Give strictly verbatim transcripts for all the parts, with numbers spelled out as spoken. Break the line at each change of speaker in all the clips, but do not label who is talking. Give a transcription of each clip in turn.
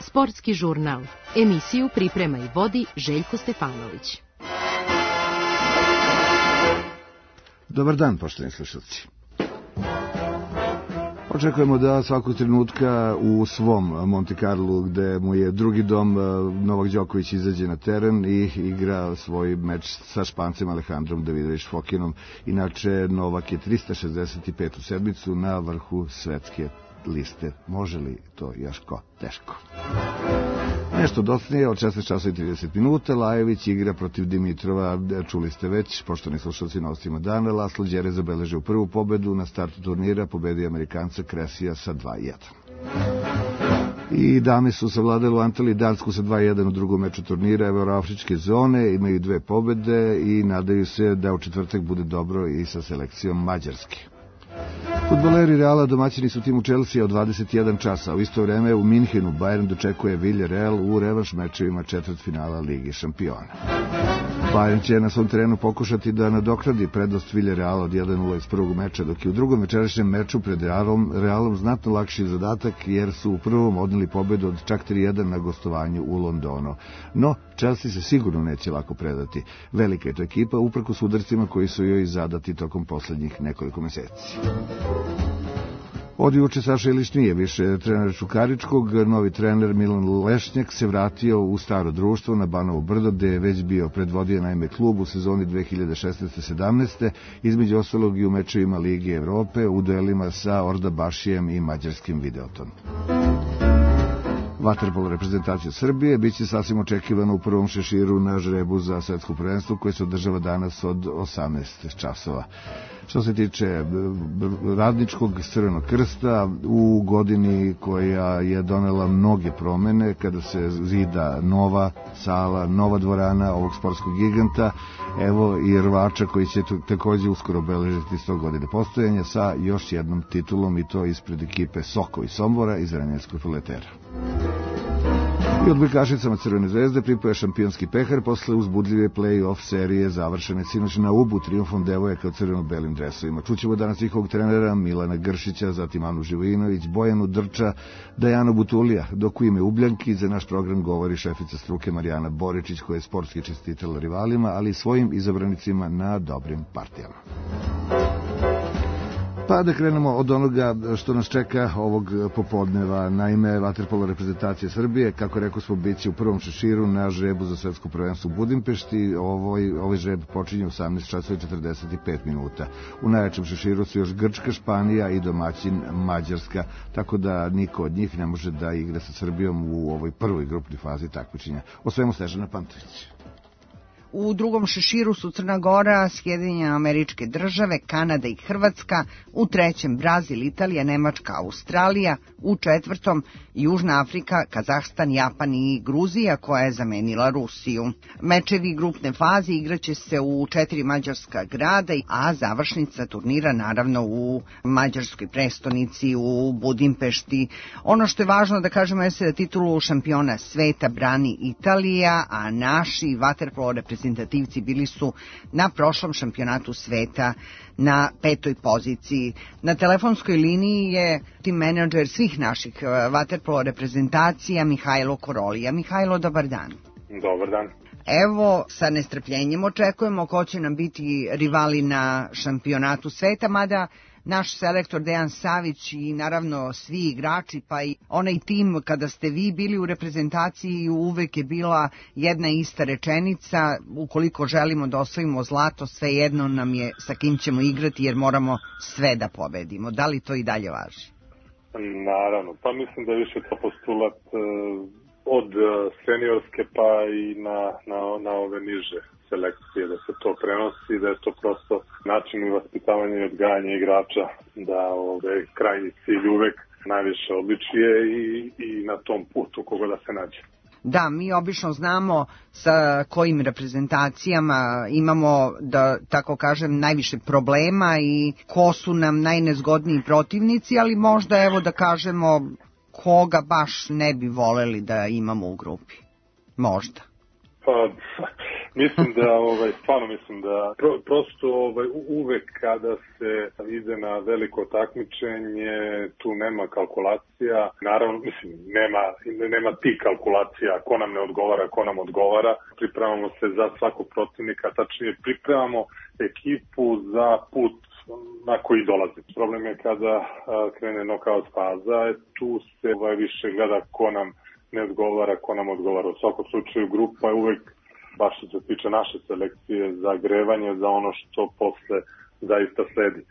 Sportski žurnal. Emisiju priprema i vodi Željko Stefanović.
Dobar dan, poštovani slušalci. Očekujemo da svakog trenutka u svom Monte Carlu, gde mu je drugi dom, Novak Đoković izađe na teren i igra svoj meč sa Špancem Alejandrom Davidović Fokinom. Inače, Novak je trista šezdeset petu sedmicu na vrhu svetske liste. Može li to još ko? Teško. Nešto dosadnije, od šesnaest časova i trideset minuta, Lajević igra protiv Dimitrova, čuli ste već, poštovani slušalci, na ostima dana. Laslo Đere zabeležio prvu pobedu na startu turnira, pobedio Amerikanca Kresija sa dva jedan. I dame su savladali u Antaliji Dansku sa dva jedan u drugom meču turnira Evroafričke zone, imaju dve pobede i nadaju se da u četvrtak bude dobro i sa selekcijom Mađarske. Fudbaleri Reala domaćini su timu Chelsea od dvadeset jedan časa. U isto vreme u Minhenu Bayern dočekuje Villarreal u revanš mečevima četvrtfinala Lige šampiona. Bayern će na svom terenu pokušati da nadoknadi prednost Villarreala od jedan nula iz prvog meča, dok je u drugom večerašnjem meču pred Realom, Realom znatno lakši zadatak, jer su u prvom odneli pobedu od čak tri jedan na gostovanju u Londonu. No, Chelsea se sigurno neće lako predati. Velika je to ekipa, uprkos udarcima koji su joj zadati tokom poslednjih nekoliko meseci. Od juče Saša Ilić nije više trener Čukaričkog, novi trener Milan Lešnjak se vratio u staro društvo na Banovo Brdo, gde je već bio predvodio naime klub u sezoni dve hiljade šesnaeste sedamnaeste, između ostalog i u mečevima Lige Evrope, u duelima sa Ordabašijem i mađarskim Videoton. Vaterpolo reprezentacija Srbije biće sasvim očekivano u prvom šeširu na žrebu za svetsko prvenstvo koje se održava danas od osamnaest časova. Što se tiče Radničkog Crvenog krsta, u godini koja je donela mnoge promene, kada se zida nova sala, nova dvorana ovog sportskog giganta, evo i rvača koji će takođe uskoro obeležiti sto godine postojanja sa još jednom titulom, i to ispred ekipe Soko i Sombora iz Renjanskog Proletera. I odbojkašicama Crvene zvezde pripoja šampionski pehar posle uzbudljive play-off serije završene sinoć na Ubu trijumfom devojaka u crveno-belim dresovima. Čućemo danas njihovog trenera Milana Gršića, zatim Anu Živojinović, Bojanu Drča, Dajanu Butulija, dok u ime Ubljanki za naš program govori šefica struke Marijana Boričić, koja je sportski čestitala rivalima, ali i svojim izabranicima na dobrim partijama. Pa da krenemo od onoga što nas čeka ovog popodneva. Naime, vaterpolo reprezentacije Srbije, kako rekao smo, bit će u prvom šeširu na žrebu za svetsko prvenstvo u Budimpešti. Ovoj, ovaj žreb počinje u osamnaest časova i četrdeset pet minuta. U najjačem šeširu su još Grčka, Španija i domaćin Mađarska, tako da niko od njih ne može da igra sa Srbijom u ovoj prvoj grupnoj fazi takmičenja. O svemu Snežana Pantović.
U drugom šeširu su Crna Gora, Sjedinjene Američke Države, Kanada i Hrvatska, u trećem Brazil, Italija, Nemačka, Australija, u četvrtom Južna Afrika, Kazahstan, Japan i Gruzija, koja je zamenila Rusiju. Mečevi grupne faze igraće se u četiri mađarska grada, a završnica turnira naravno u mađarskoj prestonici u Budimpešti. Ono što je važno da kažemo je da titulu šampiona sveta brani Italija, a naši vaterpolo reprezentativci bili su na prošlom šampionatu sveta na petoj poziciji. Na telefonskoj liniji je tim menadžer svih naših vaterpolo reprezentacija Mihajlo Korolija. Mihajlo, dobar dan.
Dobar dan.
Evo, sa nestrpljenjem očekujemo ko će nam biti rivali na šampionatu sveta, mada naš selektor Dejan Savić i naravno svi igrači, pa i onaj tim kada ste vi bili u reprezentaciji, uvek je bila jedna ista rečenica: ukoliko želimo da osvojimo zlato, svejedno nam je sa kim ćemo igrati, jer moramo sve da pobedimo. Da li to i dalje važi?
Naravno, pa mislim da je više to postulat od seniorske pa i na, na, na ove niže selekcije, da se to prenosi, da je to prosto način i vaspitavanja i odgajanja igrača, da ove krajnji cilj uvek najviše odličije i, i na tom putu koga da se nađe.
Da, mi obično znamo sa kojim reprezentacijama imamo, da tako kažem, najviše problema i ko su nam najnezgodniji protivnici, ali možda evo da kažemo koga baš ne bi voleli da imamo u grupi. Možda.
Pa, Mislim da, ovaj, stvarno mislim da pro, prosto ovaj, uvek kada se ide na veliko takmičenje, tu nema kalkulacija. Naravno, mislim, nema, nema ti kalkulacija ko nam ne odgovara, ko nam odgovara. Pripremamo se za svakog protivnika, tačnije pripremamo ekipu za put na koji dolazi. Problem je kada a, krene nokaut faza, tu se ovaj, više gleda ko nam ne odgovara, ko nam odgovara. U svakom slučaju grupa je uvek, baš što se tiče naše selekcije, za grevanje za ono što posle zaista sledi.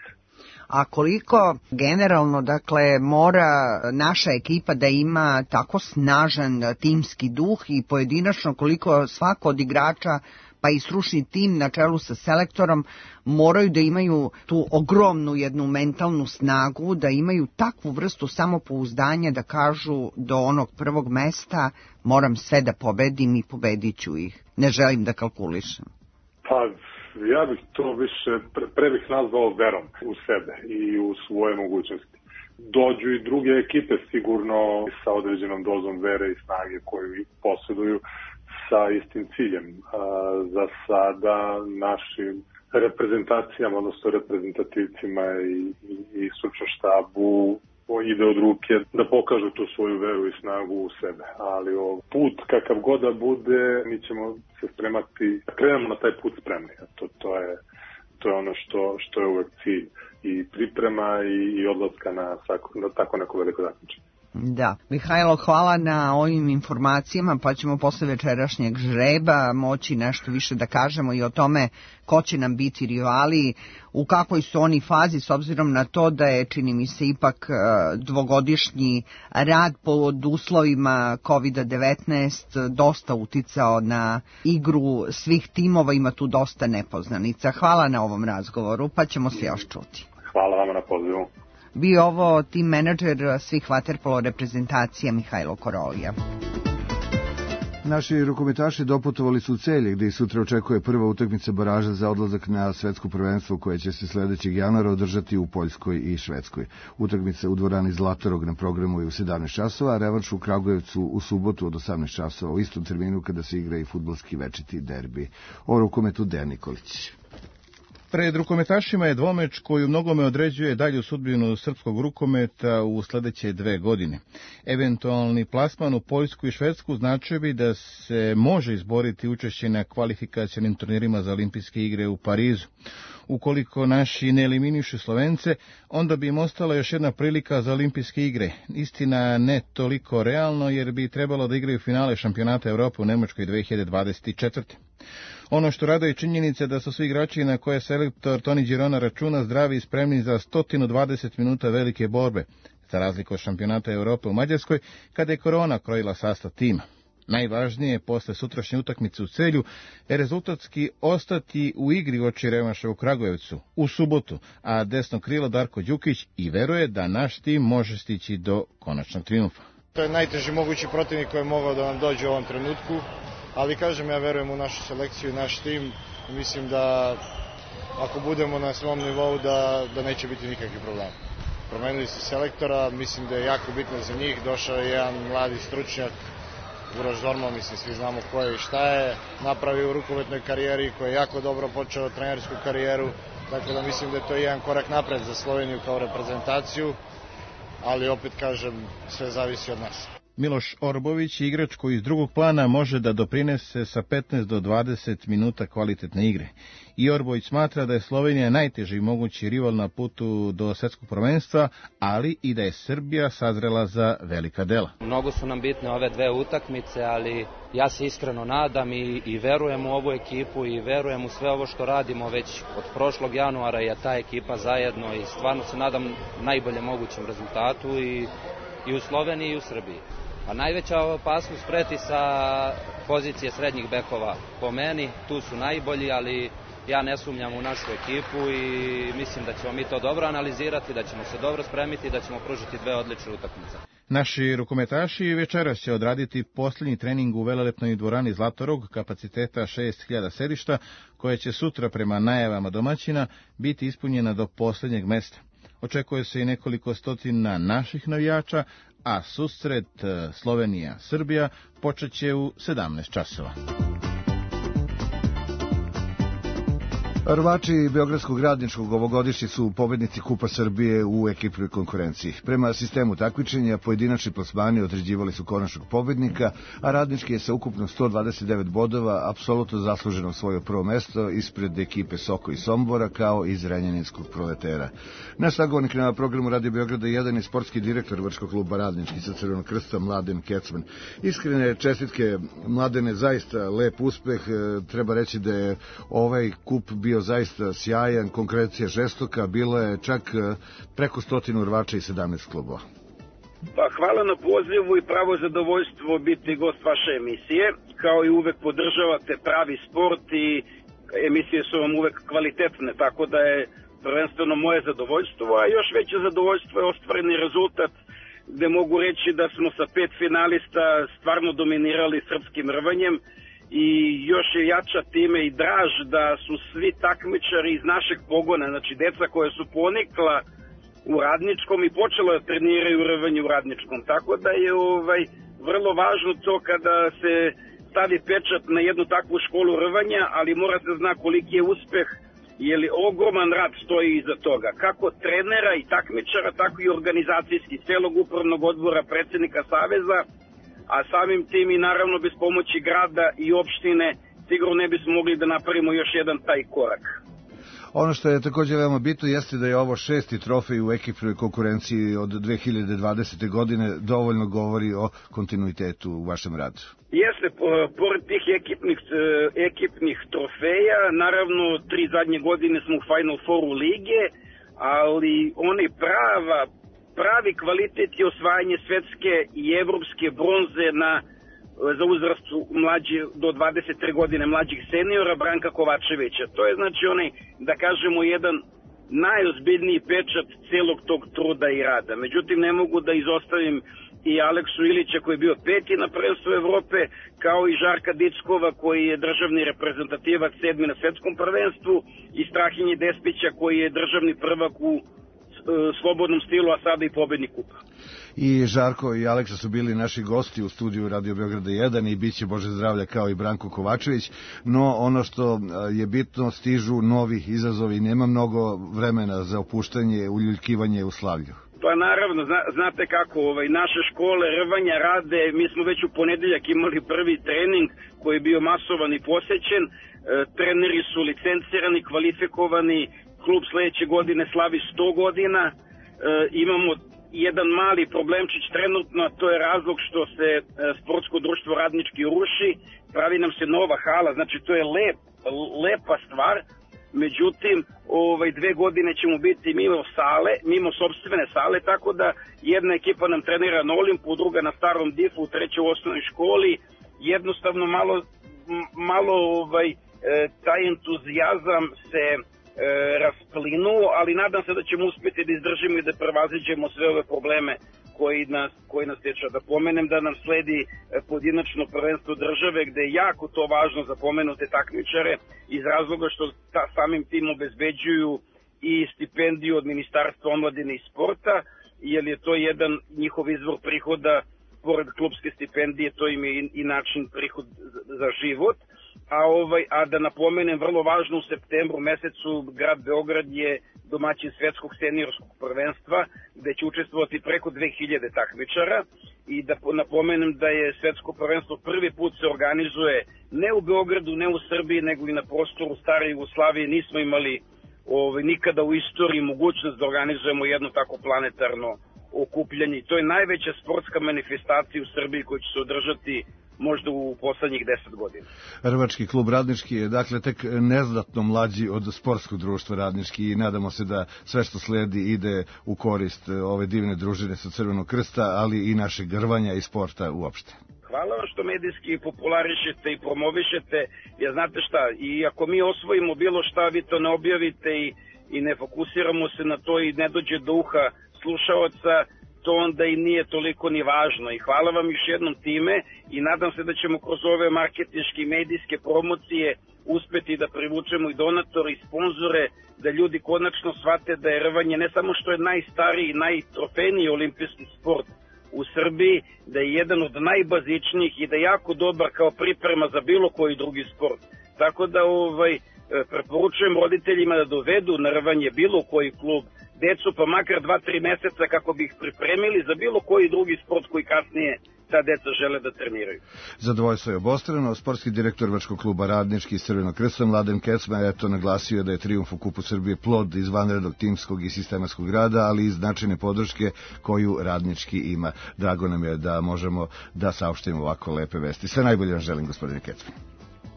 A koliko generalno, dakle, mora naša ekipa da ima tako snažan timski duh i pojedinačno koliko svako od igrača pa i stručni tim na čelu sa selektorom moraju da imaju tu ogromnu jednu mentalnu snagu, da imaju takvu vrstu samopouzdanja da kažu do onog prvog mesta moram sve da pobedim i pobedit ću ih. Ne želim da kalkulišem.
Pa, ja bih to više, pre, pre bih nazvao verom u sebe i u svoje mogućnosti. Dođu i druge ekipe sigurno sa određenom dozom vere i snage koju posjeduju sa istim ciljem. A, za sada našim reprezentacijama, odnosno reprezentativcima i, i, i stručnom štabu ide od ruke da pokažu tu svoju veru i snagu u sebe. Ali o, put kakav god da bude, mi ćemo se spremati, krenemo na taj put spremni. To, to, je, to je ono što, što je uvek cilj i priprema i, i odlaska na, na tako neko veliko takmičenje.
Da. Mihajlo, hvala na ovim informacijama, pa ćemo posle večerašnjeg žreba moći nešto više da kažemo i o tome ko će nam biti rivali, u kakvoj su oni fazi, s obzirom na to da je, čini mi se, ipak dvogodišnji rad pod uslovima kovid devetnaest dosta uticao na igru svih timova, ima tu dosta nepoznanica. Hvala na ovom razgovoru, pa ćemo se još čuti.
Hvala vama na pozivu.
Bio ovo tim menadžer svih vaterpolo reprezentacija Mihajlo Korolija.
Naši rukometaši doputovali su u Celje, gde i sutra očekuje prva utakmica baraža za odlazak na svetsko prvenstvo koje će se sledećeg januara održati u Poljskoj i Švedskoj. Utakmica u dvorani Zlatorog na programu je u sedamnaest časova, a revanš u Kragujevcu u subotu od osamnaest časova, u istom terminu kada se igra i fudbalski večiti derbi. O rukometu Dejan Nikolić.
Pred rukometašima je dvomeč koji u mnogome određuje dalju sudbinu srpskog rukometa u sledeće dve godine. Eventualni plasman u Poljsku i Švedsku značio bi da se može izboriti učešće na kvalifikacionim turnirima za olimpijske igre u Parizu. Ukoliko naši ne eliminišu Slovence, onda bi im ostala još jedna prilika za olimpijske igre. Istina, ne toliko realno, jer bi trebalo da igraju finale šampionata Evrope u Nemačkoj dve hiljade dvadeset četvrte. Ono što raduje činjenice da su svi igrači na koje selektor Toni Girona računa zdravi i spremni za sto dvadeset minuta velike borbe, za razliku od šampionata Evrope u Mađarskoj, kada je korona krojila sastav tima. Najvažnije je posle sutrašnje utakmice u Celju je rezultatski ostati u igri oči revanša u Kragujevcu u subotu, a desno krilo Darko Đukić i veruje da naš tim može stići do konačnog triumfa.
To je najteži mogući protivnik koji je mogao da nam dođe u ovom trenutku, ali kažem, ja verujem u našu selekciju i naš tim. Mislim da ako budemo na svom nivou da, da neće biti nikakvih problema. Promenili su selektora, mislim da je jako bitno za njih, došao je jedan mladi stručnjak, Uroš Zorman, mislim, svi znamo ko je i šta je napravio u rukometnoj karijeri, koji je jako dobro počeo trenersku karijeru, tako da mislim da je to jedan korak napred za Sloveniju kao reprezentaciju, ali opet kažem, sve zavisi od nas.
Miloš Orbović je igrač koji iz drugog plana može da doprinese sa petnaest do dvadeset minuta kvalitetne igre. I Orbović smatra da je Slovenija najteži mogući rival na putu do svetskog prvenstva, ali i da je Srbija sazrela za velika dela.
Mnogo su nam bitne ove dve utakmice, ali ja se iskreno nadam i, i verujem u ovu ekipu i verujem u sve ovo što radimo već od prošlog januara je ta ekipa zajedno i stvarno se nadam najbolje mogućem rezultatu i, i u Sloveniji i u Srbiji. A najveća opasnost preti sa pozicije srednjih bekova po meni, tu su najbolji, ali ja ne sumnjam u našu ekipu i mislim da ćemo mi to dobro analizirati, da ćemo se dobro spremiti i da ćemo pružiti dve odlične utakmice.
Naši rukometaši večeras će odraditi posljednji trening u velelepnoj dvorani Zlatorog kapaciteta šest hiljada sedišta, koja će sutra prema najavama domaćina biti ispunjena do posljednjeg mesta. Očekuje se i nekoliko stotina naših navijača, a susret Slovenija-Srbija počet će u sedamnaest časova.
Rvači Beogradskog radničkog ovogodišnji su pobednici Kupa Srbije u ekipnoj konkurenciji. Prema sistemu takmičenja, pojedinačni plasmani određivali su konačnog pobednika, a radnički je sa ukupno sto dvadeset devet bodova apsolutno zasluženo osvojio prvo mesto ispred ekipe Soko i Sombora, kao i Zrenjaninskog Proletera. Naš sagovornik na programu Radio Beograda jedan je sportski direktor Vrškog kluba Radnički sa Crvenog krsta, Mladen Kecman. Iskrene čestitke, Mladene, zaista lep uspeh. Treba reći da je ovaj kup bio zaista sjajan, konkurencija žestoka, bilo je čak preko stotinu rvača i sedamnaest klubova.
Pa hvala na pozivu i pravo zadovoljstvo biti gost vaše emisije. Kao i uvek podržavate pravi sport i emisije su vam uvek kvalitetne, tako da je prvenstveno moje zadovoljstvo, a još veće zadovoljstvo je ostvareni rezultat, gde mogu reći da smo sa pet finalista stvarno dominirali srpskim rvanjem i još je jača time i draž da su svi takmičari iz našeg pogona, znači deca koja su ponikla u Radničkom i počela da treniraju rvanje u Radničkom, tako da je ovaj vrlo važno to kada se stavi pečat na jednu takvu školu rvanja, ali mora se zna koliki je uspeh, jer ogroman rad stoji iza toga, kako trenera i takmičara, tako i organizacijski, celog upravnog odbora, predsjednika Saveza, a samim tim i naravno bez pomoći grada i opštine sigurno ne bismo mogli da napravimo još jedan taj korak.
Ono što je također veoma bitno jeste da je ovo šesti trofej u ekipnoj konkurenciji od dve hiljade dvadesete. godine, dovoljno govori o kontinuitetu u vašem radu.
Jeste, pored tih ekipnih, ekipnih trofeja, naravno tri zadnje godine smo u Final Fouru lige, ali oni prava, pravi kvalitet je osvajanje svetske i evropske bronze na za uzrast mlađi do dvadeset tri godine mlađih seniora Branka Kovačevića. To je znači onaj, da kažemo, jedan najozbiljniji pečat celog tog truda i rada. Međutim, ne mogu da izostavim i Aleksu Ilića koji je bio peti na prvenstvu Evrope, kao i Žarka Dickova koji je državni reprezentativac sedmi na svetskom prvenstvu i Strahinje Despića koji je državni prvak u slobodnom stilu, a sada i pobednik kupa.
I Žarko i Aleksa su bili naši gosti u studiju Radio Beograda jedan i bit će Bože zdravlja kao i Branko Kovačević, no ono što je bitno, stižu novi izazovi, nema mnogo vremena za opuštanje, uljuljkivanje u slavlju.
Pa naravno, zna, znate kako, ovaj, naše škole rvanja rade, mi smo već u ponedeljak imali prvi trening koji je bio masovan i posećen, e, treneri su licencirani, kvalifikovani, klub sledeće godine slavi sto godina, e, imamo jedan mali problemčić trenutno, a to je razlog što se e, sportsko društvo Radnički ruši, pravi nam se nova hala, znači to je lep, lepa stvar, međutim ovaj, dve godine ćemo biti mimo sale, mimo sopstvene sale, tako da jedna ekipa nam trenira na Olimpu, druga na Starom Difu, u trećoj u osnovnoj školi, jednostavno malo, malo ovaj, e, taj entuzijazam se E, rasplinuo, ali nadam se da ćemo uspjeti da izdržimo i da prevaziđemo sve ove probleme koji nas, koji nas teča. Da pomenem da nam sledi pojedinačno prvenstvo države, gde je jako to važno za pomenute takmičare iz razloga što ta, samim tim obezbeđuju i stipendiju od Ministarstva omladine i sporta, jer je to jedan njihov izvor prihoda, pored klubske stipendije, to im je i, i način prihod za, za život. A, ovaj, a da napomenem, vrlo važno, u septembru mesecu grad Beograd je domaćin svetskog seniorskog prvenstva, gde će učestvovati preko dve hiljade takmičara i da napomenem da je svetsko prvenstvo prvi put se organizuje ne u Beogradu, ne u Srbiji, nego i na prostoru stare Jugoslavije. Nismo imali ovaj, nikada u istoriji mogućnost da organizujemo jedno tako planetarno okupljanje. To je najveća sportska manifestacija u Srbiji koja će se održati možda u poslednjih deset godina.
Rvački klub Radnički je dakle tek neznatno mlađi od sportskog društva Radnički i nadamo se da sve što sledi ide u korist ove divne družine sa Crvenog krsta, ali i našeg rvanja i sporta uopšte.
Hvala vam što medijski popularišete i promovišete, jer znate šta, i ako mi osvojimo bilo šta, vi to ne objavite i, i ne fokusiramo se na to i ne dođe do uha slušaoca, to onda i nije toliko ni važno. I hvala vam još jednom time i nadam se da ćemo kroz ove marketinške i medijske promocije uspeti da privučemo i donatore i sponzore, da ljudi konačno shvate da je rvanje ne samo što je najstariji i najtrofejniji olimpijski sport u Srbiji, da je jedan od najbazičnijih i da je jako dobar kao priprema za bilo koji drugi sport. Tako da ovaj, preporučujem roditeljima da dovedu na rvanje bilo koji klub decu, pa makar dva, tri meseca kako bi ih pripremili za bilo koji drugi sport koji kasnije ta deca žele da treniraju.
Zadovoljstvo je obostrano. Sportski direktor Vrškog kluba Radnički iz Crvenog Krsta, Mladen Kecma, je to naglasio da je trijumf u Kupu Srbije plod izvanrednog timskog i sistematskog rada, ali i značajne podrške koju Radnički ima. Drago nam je da možemo da saopštimo ovako lepe vesti. Sve najbolje vam želim, gospodine Kecma.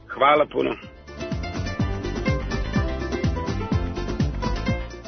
Hvala puno.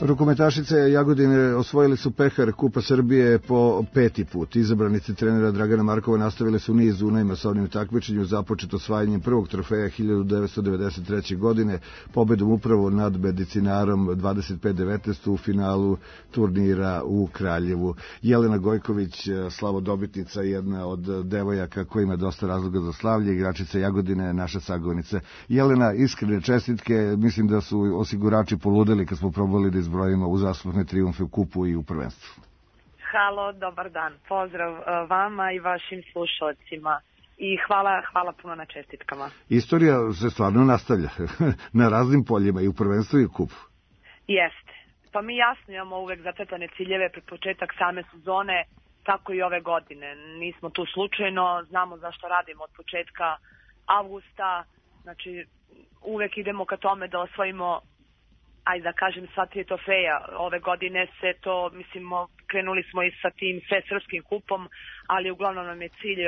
Rukometašice Jagodine osvojili su pehar Kupa Srbije po peti put. Izabranice trenera Dragana Markova nastavile su niz u najmasovnijem takmičenju započet osvajanjem prvog trofeja hiljadu devetsto devedeset treće. godine, pobedom upravo nad Medicinarom dvadeset pet devetnaest u finalu turnira u Kraljevu. Jelena Gojković, slavodobitnica, jedna od devojaka koja ima dosta razloga za slavlje, igračica Jagodine, naša sagovornica. Jelena, iskrene čestitke, mislim da su osigurači poludeli kad smo probali da izbrojimo uzastopne trijumfe u kupu i u prvenstvu.
Halo, dobar dan. Pozdrav vama i vašim slušalcima. I hvala, hvala puno na čestitkama.
Istorija se stvarno nastavlja na raznim poljima i u prvenstvu i u kupu.
Jeste. Pa mi jasno imamo uvek zacrtane ciljeve pred početak same sezone, tako i ove godine. Nismo tu slučajno, znamo zašto radimo od početka avgusta, znači uvek idemo ka tome da osvojimo, ajde da kažem, sva tri trofeja. Ove godine se to, mislim, krenuli smo i sa tim sve srpskim kupom, ali uglavnom nam je cilj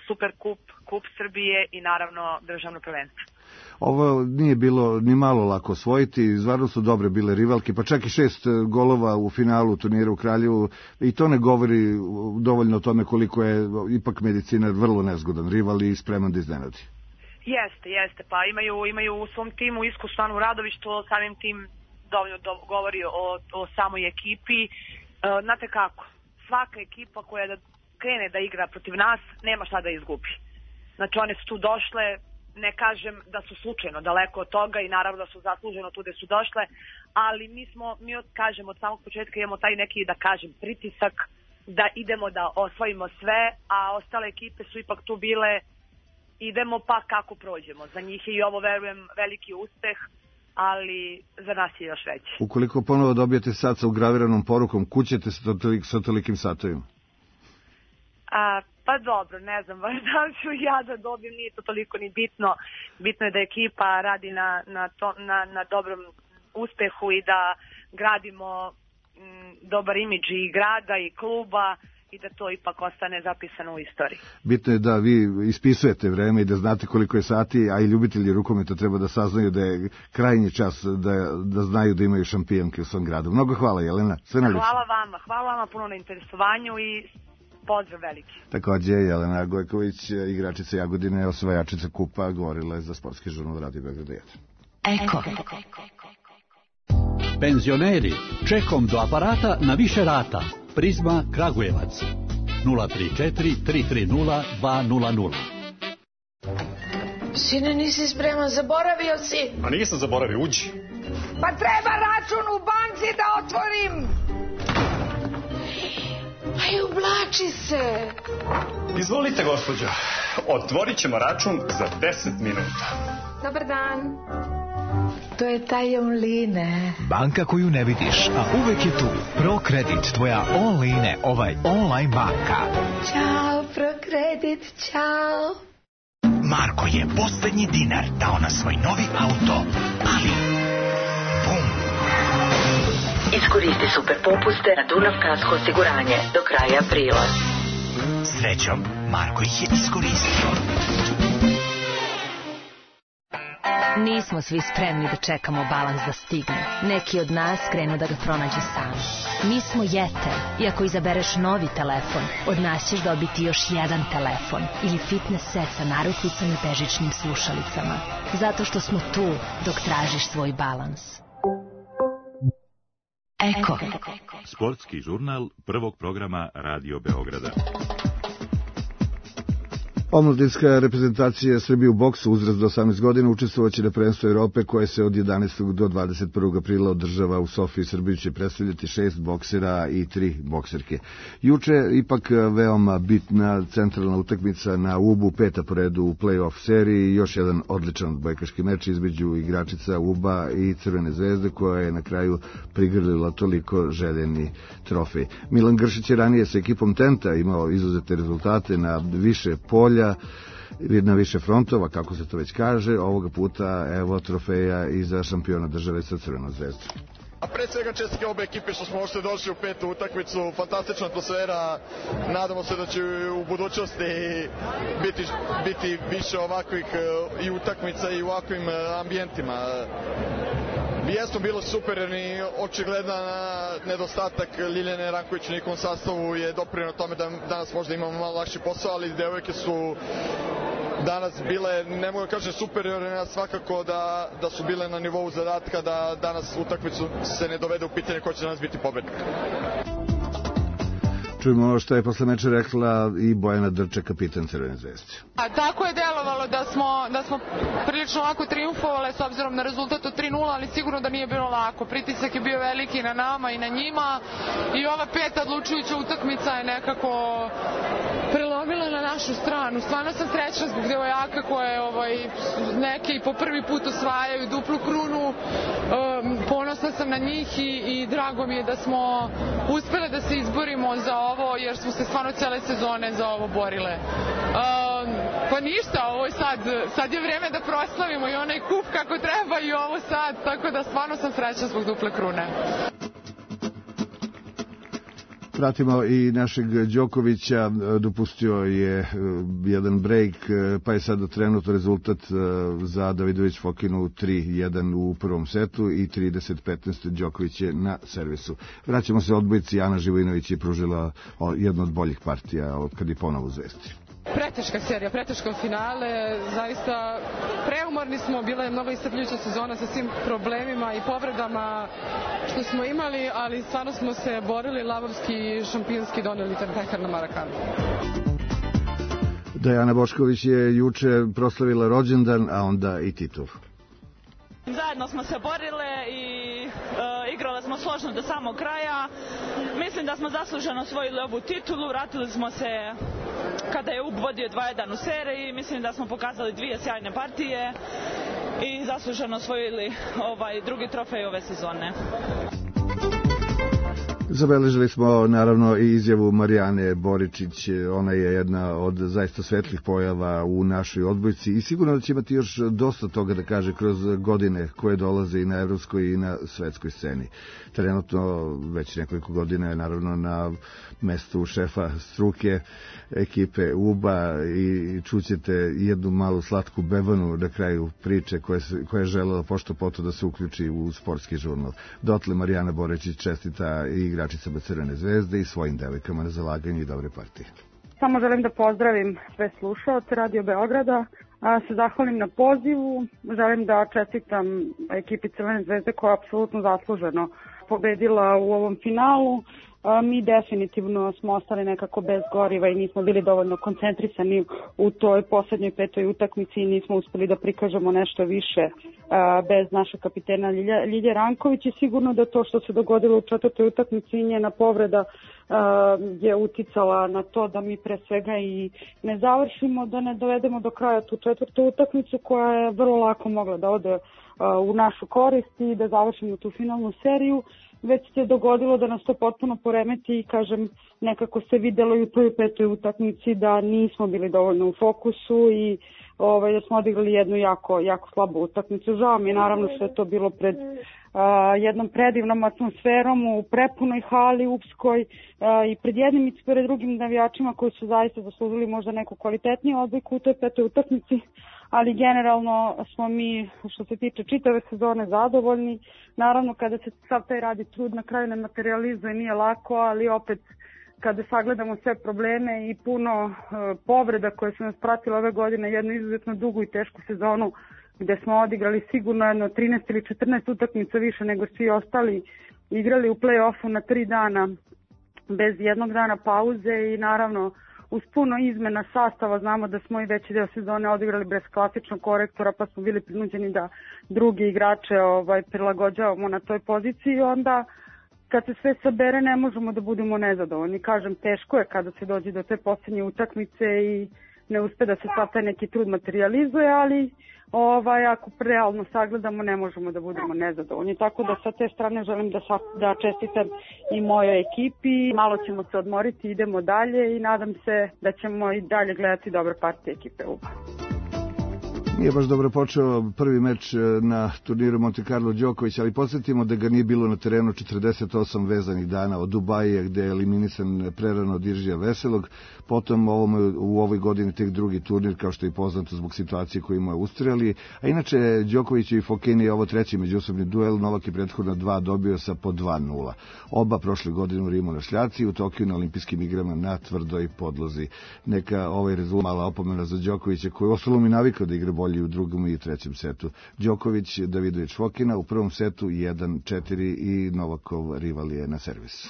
Super kup, Kup Srbije i naravno državno prvenstvo.
Ovo nije bilo ni malo lako osvojiti, stvarno su dobre bile rivalke, pa čak i šest golova u finalu turnira u Kraljevu, i to ne govori dovoljno o tome koliko je ipak Medicinar vrlo nezgodan rival i spreman da iznenadi.
Jeste, jeste, pa imaju, imaju u svom timu iskusnu Radović, što samim tim dovoljno do, govori o, o samoj ekipi. E, znate kako, svaka ekipa koja da krene da igra protiv nas, nema šta da izgubi. Znači one su tu došle, ne kažem da su slučajno daleko od toga i naravno da su zasluženo tu gde su došle, ali mi smo, mi od, kažem, od samog početka imamo taj neki, da kažem, pritisak da idemo da osvojimo sve, a ostale ekipe su ipak tu bile idemo pa kako prođemo. Za njih je i ovo, verujem, veliki uspeh, ali za nas je još veći.
Ukoliko ponovo dobijete sat sa ugraviranom porukom, kućete se tolik, sa tolikim satovima?
A, pa dobro, ne znam, da li ću ja da dobijem, nije to toliko ni bitno. Bitno je da ekipa radi na, na, to, na, na dobrom uspehu i da gradimo m, dobar imidž i grada i kluba, i da to ipak ostane zapisano u istoriji.
Bitno je da vi ispisujete vreme i da znate koliko je sati, a i ljubitelji rukometa treba da saznaju da je krajnji čas da, da znaju da imaju šampionke u svom gradu. Mnogo hvala, Jelena. Sve najlepše.
Hvala vama, hvala vama puno na interesovanju i pozdrav veliki.
Takođe, Jelena Gojković, igračica Jagodine, osvajačica kupa, govorila je za Sportski žurnal Radio Beograd jedan.
Eko. Penzioneri, čekom do aparata na više rata. Prizma Kragujevac nula tri četiri tri tri nula dva nula nula.
Sine, nisi spreman, zaboravio si?
A nisam zaboravio, uđi.
Pa treba račun u banci da otvorim. Aj, ublači se.
Izvolite, gospođo. Otvorit ćemo račun za deset minuta.
Dobar dan. To je taj online.
Banka koju ne vidiš, a uvek je tu. ProKredit, tvoja online, ovaj online banka.
Ćao, ProKredit, ćao.
Marko je poslednji dinar dao na svoj novi auto, ali bum.
Iskoristi super popuste na Dunav kasko osiguranje do kraja aprila.
Srećom, Marko ih je iskoristio.
Nismo svi spremni da čekamo balans da stigne. Neki od nas krenu da ga pronađu sami. Mi smo Jeter i ako izabereš novi telefon, od nas ćeš dobiti još jedan telefon ili fitness set sa narukvicama i bežičnim slušalicama. Zato što smo tu dok tražiš svoj balans. Eko.
Sportski žurnal prvog programa Radio Beograda.
Omladinska reprezentacija Srbije u boksu uzrast do osamnaest godina učestvovaće na prvenstvu Evrope koje se od jedanaestog do dvadeset prvog aprila održava u Sofiji. Srbiju će predstavljati šest boksera i tri bokserke. Juče ipak veoma bitna centralna utakmica na Ubu, peta po redu u play-off seriji, još jedan odličan odbojkaški meč između igračica Uba i Crvene zvezde koja je na kraju prigrlila toliko željeni trofej. Milan Gršić je ranije sa ekipom Tenta imao izuzete rezultate na više polja, na više frontova, kako se to već kaže. Ovoga puta evo trofeja i za šampiona države sa Crvenom zvezdom.
A pre svega čestitke obe ekipe što smo uopšte došli u petu utakmicu, fantastična atmosfera, nadamo se da će u budućnosti biti, biti više ovakvih i utakmica i u ovakvim ambijentima. Jesmo bilo super, jer ni očigledan nedostatak Ljiljane Ranković u njihovom sastavu je doprineo tome da danas možda imamo malo lakši posao, ali devojke su danas bile, ne mogu kažem superiorne, svakako da, da su bile na nivou zadatka da danas utakmicu se ne dovede u pitanje ko će danas biti pobednik.
Čujemo ono što je posle meča rekla i Bojana Drča, kapitan Crvene zvezde.
A tako je delovalo da smo, da smo prilično lako triumfovale s obzirom na rezultat od tri nula, ali sigurno da nije bilo lako. Pritisak je bio veliki na nama i na njima i ova peta odlučujuća utakmica je nekako prelomila na našu stranu. Stvarno sam srećna zbog devojaka koje ovaj, neke i po prvi put osvajaju duplu krunu. Um, ponosna sam na njih i, i drago mi je da smo uspele da se izborimo za ovo, jer smo se stvarno cele sezone za ovo borile. Um, pa ništa, ovo je sad, sad je vreme da proslavimo i onaj kup kako treba i ovo sad, tako da stvarno sam srećna zbog duple krune.
Pratimo i našeg Đokovića, dopustio je jedan break, pa je sada trenutno rezultat za Davidović Fokinu tri jedan u prvom setu i trideset petnaest Đoković je na servisu. Vraćamo se odbojci, Ana Živojinović je pružila jednu od boljih partija kad je ponovo u Zvezdi.
Preteška serija, preteško finale, zaista preumorni smo, bila je mnogo iscrpljujuća sezona sa svim problemima i povredama što smo imali, ali stvarno smo se borili, lavovski i šampionski doneli ten pehar na Marakanu.
Dejana Bošković je juče proslavila rođendan, a onda i titul.
Zajedno smo se borile i e, igrale smo složno do samog kraja. Mislim da smo zasluženo osvojili ovu titulu, vratili smo se kada je U B vodio dva jedan u seriji. Mislim da smo pokazali dvije sjajne partije i zasluženo osvojili ovaj drugi trofej ove sezone.
Zabeležili smo naravno i izjavu Marijane Boričić, ona je jedna od zaista svetlih pojava u našoj odbojci i sigurno da će imati još dosta toga da kaže kroz godine koje dolaze i na evropskoj i na svetskoj sceni. Trenutno već nekoliko godina je naravno na mestu šefa struke ekipe U B A i čućete jednu malu slatku bevanu na kraju priče koja, koja je želela pošto poto da se uključi u sportski žurnal. Dotle Marijana Boričić čestita i igračicama Crvene zvezde i svojim devojkama na zalaganju i dobre partije.
Samo želim da pozdravim sve slušaoce Radio Beograda, a se zahvalim na pozivu, želim da čestitam ekipi Crvene zvezde koja je apsolutno zasluženo pobedila u ovom finalu. Mi definitivno smo ostali nekako bez goriva i nismo bili dovoljno koncentrisani u toj poslednjoj petoj utakmici i nismo uspeli da prikažemo nešto više bez naše kapitena Ljilje Ranković i sigurno da to što se dogodilo u četvrtoj utakmici i njena povreda je uticala na to da mi pre svega i ne završimo, da ne dovedemo do kraja tu četvrtu utakmicu koja je vrlo lako mogla da ode u našu korist i da završimo tu finalnu seriju. Već se dogodilo da nas to potpuno poremeti i kažem, nekako se videlo i u toj petoj utakmici da nismo bili dovoljno u fokusu i ovaj, da smo odigrali jednu jako, jako slabu utakmicu. Žao mi je naravno što je to bilo pred a, jednom predivnom atmosferom u prepunoj hali upskoj a, i pred jednim i pred drugim navijačima koji su zaista zaslužili možda neku kvalitetniju odbojku u toj petoj utakmici. Ali generalno smo mi, što se tiče čitave sezone, zadovoljni. Naravno, kada se sav taj radi trud na kraju ne materializuje, nije lako, ali opet kada sagledamo sve probleme i puno uh, povreda koje su nas pratile ove godine, jednu izuzetno dugu i tešku sezonu gde smo odigrali sigurno jedno trinaest ili četrnaest utakmica više nego svi ostali, igrali u play-offu na tri dana bez jednog dana pauze i naravno uz puno izmena sastava. Znamo da smo i veći deo sezone odigrali bez klasičnog korektora, pa smo bili prinuđeni da drugi igrače ovaj, prilagođavamo na toj poziciji. Onda kad se sve sabere ne možemo da budemo nezadovoljni. Kažem, teško je kada se dođe do te posljednje utakmice i ne uspe da se sad taj neki trud materializuje, ali ovaj, ako realno sagledamo ne možemo da budemo nezadovoljni. Tako da sa te strane želim da, da čestitam i mojoj ekipi. Malo ćemo se odmoriti, idemo dalje i nadam se da ćemo i dalje gledati dobre partije ekipe U B A.
Nije baš dobro počeo prvi meč na turniru Monte Carlo Đoković, ali podsjetimo da ga nije bilo na terenu četrdeset osam vezanih dana od Dubaja, gde je eliminisan prerano od Iržija Veselog. Potom ovom, u ovoj godini tek drugi turnir, kao što je poznato zbog situacije koju mu je ustreli. A inače, Đoković i Fokini je ovo treći međusobni duel. Novak je prethodno dva dobio sa po dva nula. Oba prošle godine u Rimu na šljaci, u Tokiju na olimpijskim igrama na tvrdoj podlozi. Neka ovaj rezultat mala opomena za Đokovića, koji je ostalo mi navikao da igra bolje u drugom i trećem setu. Đoković, Davidović, Fokina u prvom setu jedan četiri i Novakov rival je na servisu.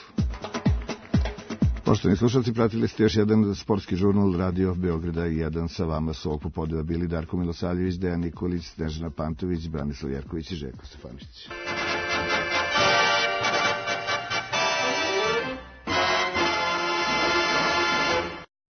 Poštovani slušalci, pratili ste još jedan sportski žurnal Radio Beograda jedan. Sa vama su ovog popodneva bili Darko Milosavljević, Dejan Nikolić, Snežana Pantović, Branislav Jerković i Željko Stefanić.